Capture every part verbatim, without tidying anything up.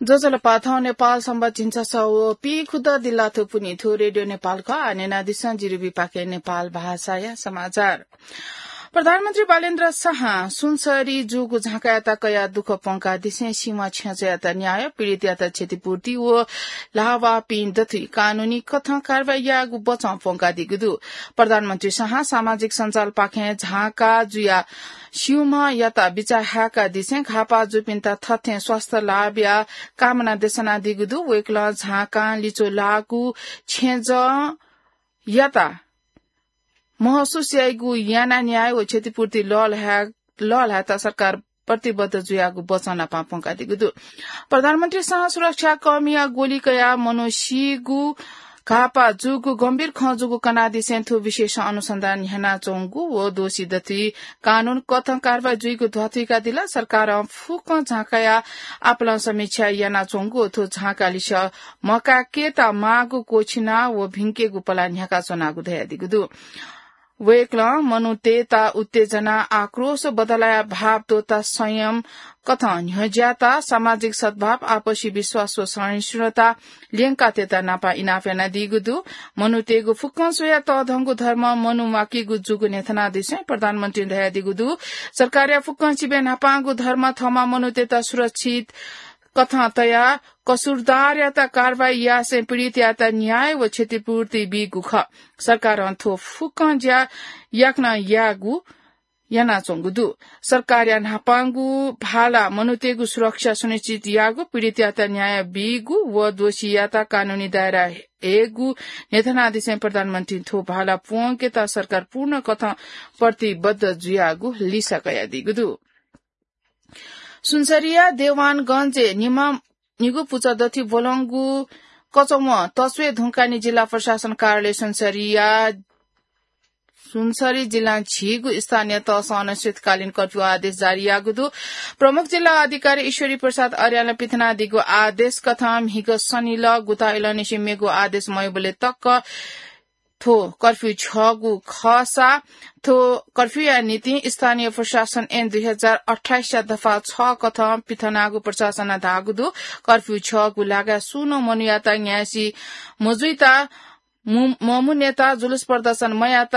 ज्वजलपा, थौं नेपाल संवत झिंछसः व पीखुदँ दिल्लाथ्व पुन्हि। थ्व रेडियो नेपाल खः। आः न्यनादिसँ जिरिबीपाखें नेपाल भाषाया समाचार। प्रधानमन्त्री बालेन्द्र शाहं सुनसरी जूगु झाँकायात कयाः दुःख प्वंकादिसें सीमा छेँजःयात न्याय, पीडितयात क्षतिपूर्ति व लावापिं दथुइ कानूनी कथं कारवाही यायेगु बचं प्वंकादीगु दु। प्रधानमन्त्री शाहं सामाजिक सञ्जालपाखें झाँका जुयाः स्यूम्हयात बिचाः हाय्कादिसें घाःपाः जूपिन्त थथें स्वास्थ्य लाभया कामना देछानादीगु दु। वय्कलं झाँकां लिच्वः लाःगु छेँजःयात महसुस याइगु यानाः न्याय व क्षतिपूर्ति लःल्हाये-, लःल्हायेत सरकार प्रतिबद्ध जुयागु बचं नापं प्वंकादीगु दु। प्रधानमन्त्री शाहं सुरक्षाकर्मीया गोली कयाः मनू सीगु, घाःपाः जूगु गम्भीर खँ जूगु कनादिसें थ्व विषयसं अनुसन्धान न्ह्यानाच्वंगु व दोषी दथुइ कानून कथं कारवाही जुइगु ध्वाथुइकादिल। सरकारं फुक्कं झाँकाया आपालं समीक्षा यानाच्वंगु व थ्व झाँका लिसे मकाय्केत माःगु क्वःछिना व भिंकेगु पलाः न्ह्याकाच्वनागु धयादीगु दु। वय्कलं मनूतय्त उत्तेजना, आक्रोश, बदलाया भाव त्वःताः संयम कथं न्ह्यज्याःत सामाजिक सद्भाव, आपसी विश्वास व सहिष्णुता ल्यंकातयेत नापं इनाप यानादीगु दु। मनूतय्गु फुक्कं स्वयाः तःधंगु धर्म मनू म्वाकीगु जूगु न्ह्यथनादिसें प्रधानमन्त्रीं धयादीगु दु। सरकारया फुक्कं सिबें न्हापांगु धर्म थःम्हं मनूतय्त सुरक्षित कथं तयाः कसुरदारयात कारवाही यासें पीडितयात न्याय व क्षतिपूर्ति बीगु खः। सरकारं थ्व फुक्कं ज्या याकनं याःगु यानाच्वंगु दु। सरकारया न्हापांगु भाला मनूतय्गु सुरक्षा सुनिश्चित याःगु, पीडितयात न्याय बीगु व दोषीयात कानूनी दायरा हयेगु न्ह्यथनादिसें प्रधानमन्त्रीं थ्व भाला प्वंकेत सरकार पूर्ण कथं प्रतिबद्ध जुयागु लिसा कयादीगु दु। सुनसरीया देवानगंजय् निम्ह निगू पुचः दथुइ ब्वलंगु कचवं तस्वये धुंकाः नि जिल्ला प्रशासन कार्यालय सुनसरीया, सुनसरी जिल्लां झीगू स्थानीय तहसं अनिश्चितकालीन कर्फ्यू आदेश जारी याःगु दु। प्रमुख जिल्ला अधिकारी ईश्वरी प्रसाद अर्यालं पिथनादीगु आदेश कथं म्हिगः शनिलः गुताइलंनिसें मेगु आदेश मयुबलय् तक थ्व कर्फ्यू छ्यःगु खःसा, थ्व कर्फ्यूया निंतिं स्थानीय प्रशासन ऐन दुई हजार अट्ठाइसया दफा छ कथं पिथनागु प्रशासनं धाःगु दु। कर्फ्यू छ्यःगु लागाय् सुं नं मनूयात न्यासी मजुइत, मु-, ममुनेत, जुलुस प्रदर्शन मयात,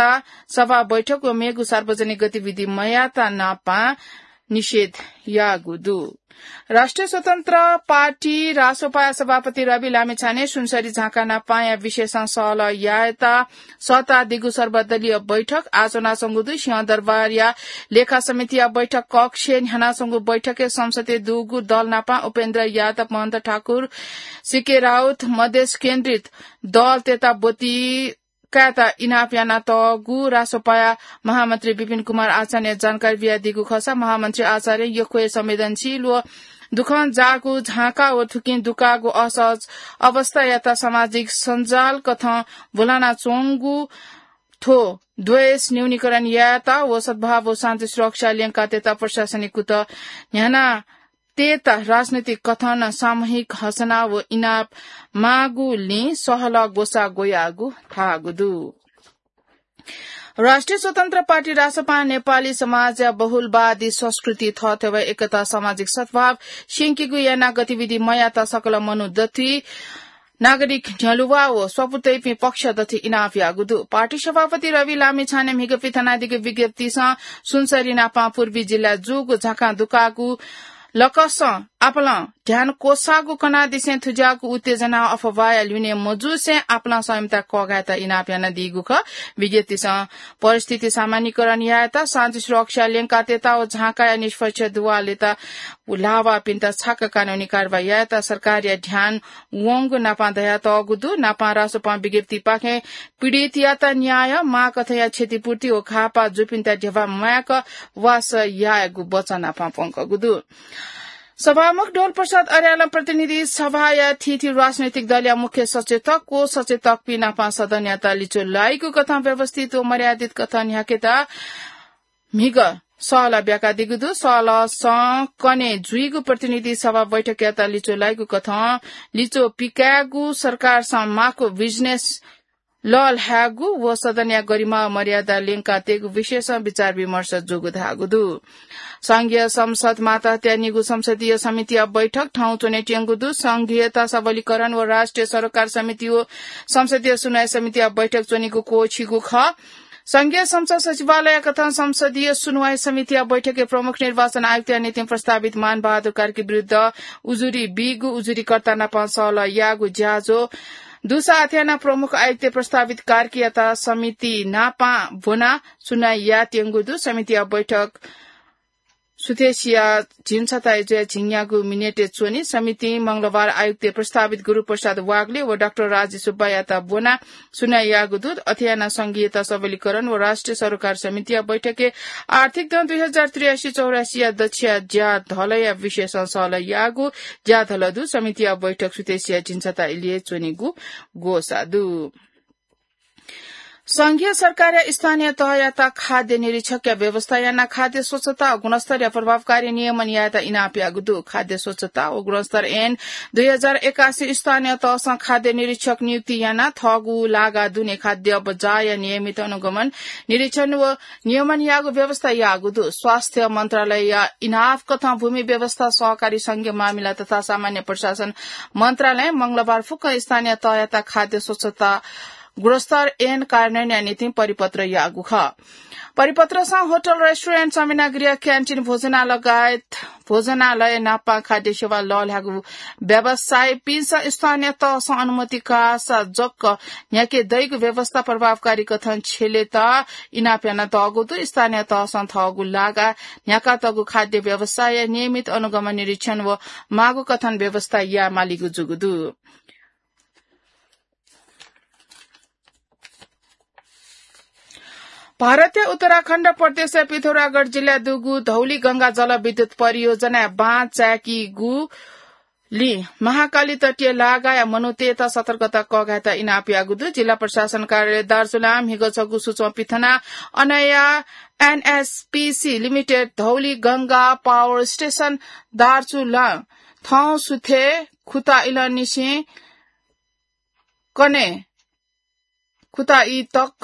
सभा बैठक व मेगु सार्वजनिक गतिविधि मयात नापं निषेध याःगु दु। राष्ट्रिय स्वतन्त्र पार्टी रासोपाया सभापति रवि लामिछानें सुनसरी झाँका नापांया विषयसं सहलह यायेत सःतादीगु सर्वदलीय बैठक आः च्वनाच्वंगु दु। सिंहदरबारया लेखा समितिया बैठक कक्षय् न्ह्यानाच्वंगु बैठकय् संसदय् दुगु दल नापं उपेन्द्र यादव, महन्त ठाकुर, सीके राउत, मधेस केन्द्रित दलतय्त ब्वति कायेत इनाप यानातःगु रासोपाया महामन्त्री विपिन कुमार आचार्यं जानकारी बियादीगु खःसा, महामन्त्री आचार्यं यक्व हे संवेदनशील व दुःखं जाःगु झाँका व थुकिं दुकाःगु असहज अवस्थायात सामाजिक सञ्जाल कथं ब्वलानाच्वंगु थ्व द्वेष न्यूनीकरण यायेत व सद्भाव व शान्ति सुरक्षा ल्यंकातयेत प्रशासनिक कुतः न्ह्याना तयेत राजनैतिक कथं नं सामूहिक हसना व इनाप माःगुलिं सहलह ग्वसाः ग्वयागु धाःगु दु। राष्ट्रिय स्वतन्त्र पार्टी रासोपां नेपाली समाजया बहुलवादी संस्कृति, थःथेवा, एकता, सामाजिक सद्भाव स्यंकीगु यानाः गतिविधि मयात सकल मनू दथुइ नागरिक न्ह्यलुवा व स्वापू तइपिं पक्ष दथुइ इनाप याःगु दु। पार्टी सभापति रवि लामिछानें म्हिगः पिथनादीगु विज्ञप्तिसं सुनसरी नापं पूर्वी जिल्लाय् जूगु झाँकां दुकाःगु लकसं आपालं ध्यान क्वसाःगु कनादिसें थुज्याःगु उत्तेजना अफवाहया ल्यूने मजूसें आपालं संयमता कःघायेत इनाप यानादीगु खः। विज्ञप्तिसं परिस्थिति सामान्यीकरण यायेत, शान्ति सुरक्षा ल्यंकातयेत व झाँकाया निष्पक्ष दुवालय्त लावाःपिन्त छाक कानूनी कारवाही यायेत सरकारया ध्यान वंगु नापं धयातःगु दु। नापं रासोपां विज्ञप्तिपाखें पीडितयात न्याय, माःकथंया क्षतिपूर्ति व घाःपाः जूपिन्त ध्यबा माय्क वासः यायेगु बचं नापं प्वंकूगु दु। सभामुख डोलप्रसाद अर्यालं प्रतिनिधि सभाया थीथी राजनैतिक दलया मुख्य सचेतक व सचेतकपिं नापं सदनयात लिच्वः लाइगु कथं व्यवस्थित व मर्यादित कथं न्ह्याकेत म्हिगः सहलह ब्याकादीगु दु। सहलहसं कन्हय् जुइगु प्रतिनिधि सभा बैठकयात लिच्वः लाइगु कथं लिच्वः पिकायेगु, सरकारसं माःगु बिजनेस लःल्हायेगु व सदनया गरिमा व मर्यादा ल्यंकातयेगु विषयसं विचार विमर्श जूगु धाःगु दु। संघीय संसद मातहतया निगू संसदीय समितिया बैठक थौं च्वनेत्यंगु दु। संघीयता सबलीकरण व राष्ट्रिय सरोकार समिति व संसदीय सुनवाई समितिया बैठक च्वनीगु क्वःछिगु खः। संघीय संसद सचिवालय कथं संसदीय सुनवाई समितिया बैठकय् प्रमुख निर्वाचन आयुक्तया निंतिं प्रस्तावित मानबहादुर कार्की विरुद्ध उजुरी बीगु उजुरीकर्ता नाप सहलह याःगु ज्याझ्वः दुसा अथे यानाः प्रमुख आयुक्त प्रस्तावित कार्कीयात समिति नाप ब्वनाः सुनवाई यायेत्यंगु दु। समितिया बैठक सुथसिया झिंछता जुया झिंन्यागू मिनेटय् च्वनी। समितिं मंगलबार आयुक्त प्रस्तावित गुरुप्रसाद वाग्ले व डाक्टर राजी सुब्बायात ब्वनाः सुनवाई याःगु दु। अथे यानाः संघीयता सबलीकरण व राष्ट्रिय सरोकार समितिया बैठकय् आर्थिक दँ दुई हजार त्रियासी चौरासीया दच्छिया ज्याधलया विषयसं सहलह याःगु ज्याधल दु। समितिया बैठक सुथसिया झिंछता इलय् च्वनीगु ग्वसाः दु। संघीय सरकारया स्थानीय तहयात खाद्य निरीक्षकया व्यवस्था यानाः खाद्य स्वच्छता व गुणस्तरया प्रभावकारी नियमन यायेत इनाप याःगु दु। खाद्य स्वच्छता व गुणस्तर ऐन दुई हजार एकासी स्थानीय तहसं खाद्य निरीक्षक नियुक्ति यानाः थःगु लागा दुने खाद्य बजारया नियमित अनुगमन, निरीक्षण व नियमन याःगु व्यवस्था याःगु दु। स्वास्थ्य मन्त्रालयया इनाप कथं भूमि व्यवस्था, सहकारी संघीय मामिला तथा सामान्य प्रशासन मन्त्रालयं मंगलबार फुक्क स्थानीय तहयात खाद्य स्वच्छता गुणस्तर ऐन कार्यान्वयनया निंतिं परिपत्र याःगु खः। परिपत्रसं होटल, रेस्टुरेन्ट, समिनागृह, क्यान्टिन, भोजनालय लगायत भोजनालय नापं खाद्य सेवा लःल्हायेगु व्यवसायीपिन्सं स्थानीय तहसं अनुमति काःसा जक न्ह्याके दइगु व्यवस्था प्रभावकारी कथं छ्यलेत इनाप यानातःगु दु। स्थानीय तहसं थःगु लागा न्ह्याकातःगु खाद्य व्यवसायया नियमित अनुगमन, निरीक्षण व माःगु कथं व्यवस्था यायेमालीगु जूगु दु। भारतया उत्तराखण्ड प्रदेशया पिथौरागढ जिल्लाय् दुगु धौलीगंगा जलविद्युत परियोजनाय् बाँचाय्कीगुलिं महाकाली तटीय लागाया मनूतय्त सतर्कता कःघायेत इनाप याःगु दु। जिल्ला प्रशासन कार्यालय दार्चुलां म्हिगः छगू सूचना पिथनाः अनया एनएसपीसी लिमिटेड धौलीगंगा पावर स्टेशन दार्चुलां थौं सुथय् खुता इलंनिसें कन्हय् खुता ई तक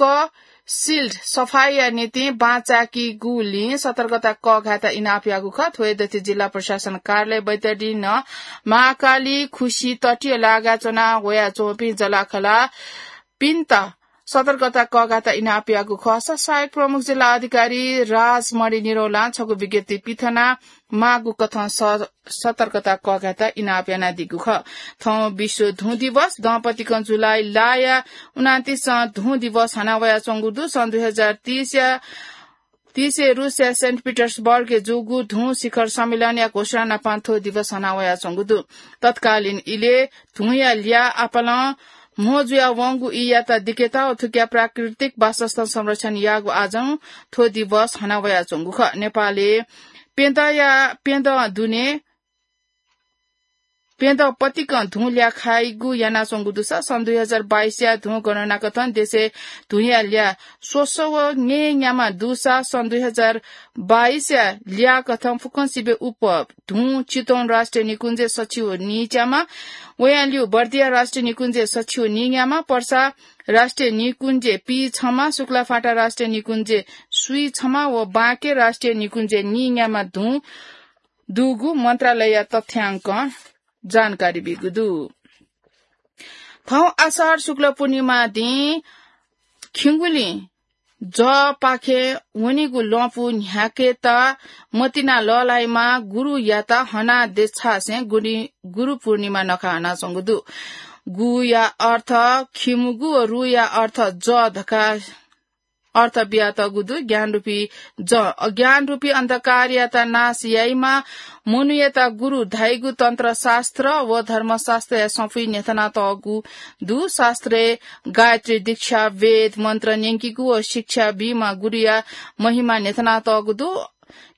सिल्ड सफाईया निंतिं बाँचाय्कीगुलिं सतर्कता कःघायेत इनाप याःगु खः। थ्व हे दथुइ जिल्ला प्रशासन कार्यालय बैतडीं नं महाकाली खुसी तटीय लागाय् च्वना वयाच्वंपिं जलाखलापिन्त सतर्कता कःघायेत इनाप याःगु खःसा सहायक प्रमुख जिल्ला अधिकारी राजमणि निरौलां छगू विज्ञप्ति पिथनाः माःगु कथं स-, सतर्कता कःघायेत इनाप यानादीगु खः। थौं विश्व धुँ दिवस दँपतिकं जुलाई लःया उनान्तिसं धुँ दिवस हना वयाच्वंगु दु। सन् दुई हजार तीसया, तीसय् रुसया सेन्ट पिटर्सबर्गय् जूगु धुँ शिखर सम्मेलनया घोषणा नापं थ्व दिवस हना वयाच्वंगु दु। तत्कालीन इलय् धुँया ल्याः आपालं म्हो जुया वंगु ईयात दिकेत व थुकिया प्राकृतिक वासस्थान संरक्षण याःगु आजं थ्व दिवस हना वयाच्वंगु खः। नेपालय् प्यदँया, प्यदँ दुने, प्यदँ पतिकं धुँ ल्याः खाइगु यानाच्वंगु दुसा सन् दुई हजार बाइसया धुँ गणना कथं देशय् धुँया ल्याः स्वसः व न्येन्याम्ह दुसा सन् दुई हजार बाइसया ल्याः कथं फुक्कं सिबें उप धुँ चितवन राष्ट्रिय निकुञ्जय् सछि व नीच्याम्ह, वयां ल्यू बर्दिया राष्ट्रिय निकुञ्जय् सछि व नीन्याम्ह, पर्सा राष्ट्रिय निकुञ्जय् पीछम्ह, शुक्लाफाँटा राष्ट्रिय निकुञ्जय् स्वीछम्ह व बाँके राष्ट्रिय निकुञ्जय् नीन्याम्ह धुँ दुगु मन्त्रालयया तथ्यांकं जानकारी बीगु दु। थौं आषाढ शुक्ल पूर्णिमा दिं खिउँगुलिं जःपाखे वनीगु लँपु न्ह्याकेत मतिना लःल्हाइमा गुरुयात हना देछासें गुरि-, गुरु पूर्णिमा नखः हनाच्वंगु दु। गुया अर्थ खिमुगु व रुया अर्थ जः धकाः अर्थ बियातःगु दु। ज्ञानरूपी जः, अज्ञानरूपी अन्धकारयात नाश याइमा मनूयात गुरु धाइगु तन्त्रशास्त्र व धर्मशास्त्रया सफुइ न्ह्यथनातःगु दु। शास्त्रय् गायत्री दीक्षा, वेद मन्त्र न्यंकीगु व शिक्षा बीमा गुरुया महिमा न्ह्यथनातःगु दु।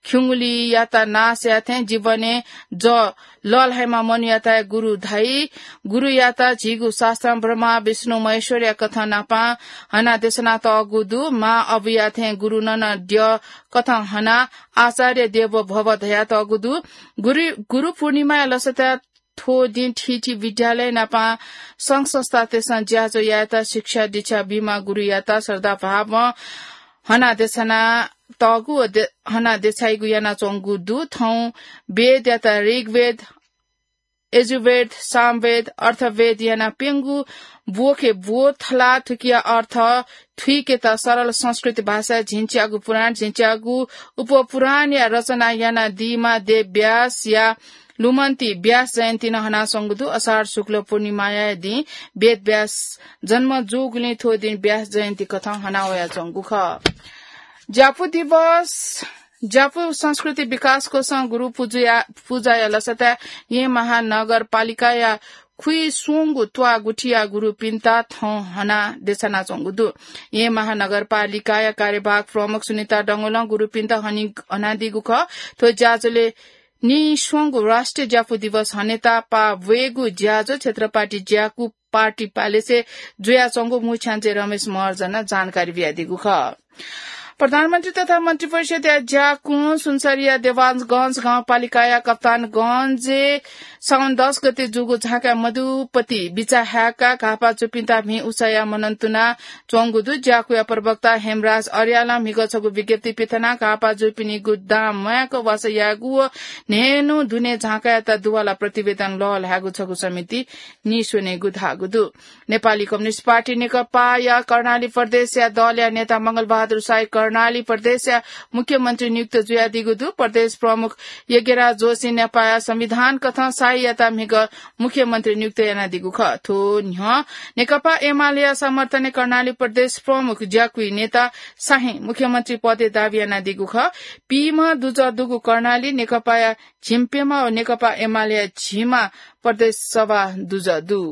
खिउँगुलियात नाश याःथें जीवनय् जः लःल्हाइमा मनूयात गुरु धाइ। गुरुयात झीगु शास्त्रं ब्रह्मा, विष्णु, महेश्वरया कथं नापं हना देछानातःगु दु। मां अबुया थें गुरु नं द्यः कथं हना आचार्य देवो भव धयातःगु दु। गुरु, गुरु पूर्णिमाया लसताय् थ्व दिं थीथी विद्यालय नापं संघ संस्थातय्सं ज्याझ्वः यायेत शिक्षा दीक्षा बीम्ह गुरुयात श्रद्धाभावं हना देछाना तःगु व दे-, हना देछाइगु यानाच्वंगु दु। थौं वेदयात ऋग्वेद, यजुर्वेद, सामवेद, अथर्ववेद याना प्यंगू ब्वखे ब्व थला। थुकिया अर्थ थुइकेत सरल संस्कृत भाषाय् झिंच्यागू पुराण, झिंच्यागू उपपुराणया रचना यानादीम्ह देव व्यासया लुमन्ति व्यास जयन्ती नं हनाच्वंगु दु। असार शुक्ल पूर्णिमाया दिं वेद व्यास जन्म जूगुलिं थ्व दिं व्यास जयन्ती कथं हना वयाच्वंगु खः। ज्यापु दिवस, ज्यापु संस्कृति विकास कोषं गुरु पुजुया, पुजाया लसताय् येँ महानगरपालिकाया खुइस्वंगू त्वाः गुथिया गुरुपिन्त थौं हना देछानाच्वंगु दु। येँ महानगरपालिकाया कार्यवाहक प्रमुख सुनिता डंगोलं गुरुपिन्त हनी, हनादीगु खः। थ्व ज्याझ्वलय् नीस्वंगू राष्ट्रिय ज्यापु दिवस हनेत पाः ब्वयेगु ज्याझ्वः क्षेत्रपाटी ज्याकू पार्टी प्यालेसय् जुयाच्वंगु मुख्यमन्त्री रमेश महर्जनं जानकारी बियादीगु खः। प्रधानमन्त्री तथा मन्त्रिपरिषदया ज्याकुं सुनसरीया देवानगंज गाउँपालिकाया कप्तानगंजय् साउन दस गते जूगु झाँकाय् मधुपति बिचा हाय्काः घाःपाः जूपिन्त भिं उसाया मनन तुना च्वंगु दु। ज्याकुया प्रवक्ता हेमराज अर्यालं म्हिगः छगू विज्ञप्ति पिथनाः घाःपाः जूपिनिगु दां म्वायेक वासः यायेगु व न्हय्न्हु दुने झाँकायात दुवाला प्रतिवेदन लःल्हायेगु छगू समिति नीस्वनेगु धाःगु दु। नेपाली कम्युनिस्ट पार्टी नेकपाया कर्णाली प्रदेशया दलया नेता मंगलबहादुर शाही कर्णाली प्रदेशया मुख्यमन्त्री नियुक्त जुयादीगु दु। प्रदेश प्रमुख यज्ञराज जोशी नेपाया संविधान कथं शाहीयात म्हिगः मुख्यमन्त्री नियुक्त यानादीगु खः। थ्व न्ह्यः नेकपा एमालेया समर्थनय् कर्णाली प्रदेश प्रमुख ज्याकुइ नेता शाही मुख्यमन्त्री पदय् दावी यानादीगु खः। पीम्ह दुजः दुगु कर्णाली नेकपाया झिंप्यम्ह व नेकपा एमालेया झिम्ह प्रदेश सभा दुजः दु।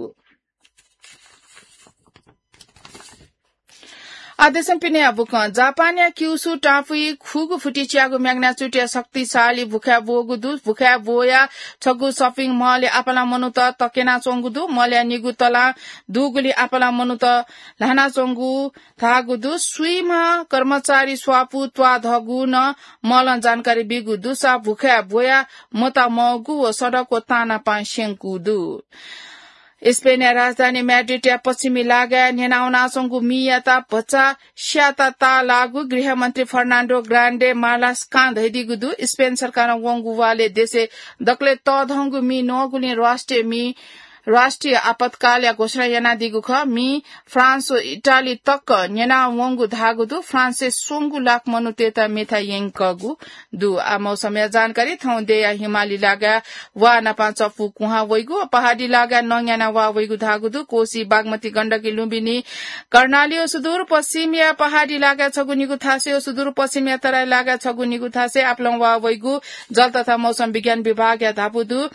आदेशं पिनेया बुकं जापानया क्युसु टापुइ खुगू फुति च्यागू magnitude-या शक्तिशाली भुखाय् ब्वःगु दु। भुखाय् ब्वःया छगू shopping mall-य् आपालं मनूत तक्यनाच्वंगु दु। Mall-या निगू तलां दुगुलिं आपालं मनूत ल्हानाच्वंगु धाःगु दु। स्वीम्ह कर्मचारी स्वापू त्वाःधःगु नं mall-ं जानकारी बीगु दुसा भुखाय् ब्वया मतामौगु व सडक व तांनापां स्यंकू दु। स्पेनया राजधानी म्याड्रिडया पश्चिमी लागाय् न्यनावनाच्वंगु मीयात भचा स्याता ताःलाःगु गृहमन्त्री फर्नान्डो ग्रान्डे मार्लास्कां धयादीगु दु। स्पेन सरकारं वंगु वालय् देशय् दकलय् तःधंगु मी नःगुलिं राष्ट्रिय मी, राष्ट्रिय आपतकालया घोषणा यानादीगु खः। मी फ्रान्स व इटाली तक न्यनावंगु धाःगु दु। फ्रान्सय् स्वंगू लाख मनूतय्त मेथाय् यंकःगु दु। आ मौसमया जानकारी। थौं देय्या हिमाली लागाय् वा नापं चफू कुहां वइगु, पहाडी लागाय् नंयाना वा वइगु धाःगु दु। कोसी, बागमती, गण्डकी, लुम्बिनी, कर्णाली व सुदूरपश्चिमया पहाडी लागाय् छगू निगू थासय् व सुदूरपश्चिमया तराई लागाय् छगू निगू थासय् आपालं वा वइगु जल तथा मौसम विज्ञान विभागया धापू दु।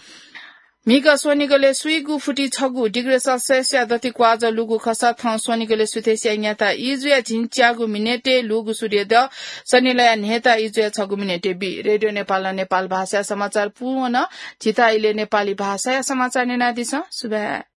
म्हिगः स्वनिगलय् स्वीगू फुति छगू degree Celsius-या दति क्वाःजः लूगु खःसा थौं स्वनिगलय् सुथय्सिया न्याता इजुया झिंच्यागू मिनेटय् लूगु सूर्योदय, सनिलया न्हय्ता इजुया छगू मिनेटय् बी। रेडियो नेपालं नेपाल भाषाया समाचार पूवन। झीत इलय् नेपाली भाषाया समाचार न्यनादिसँ। सुभाय्।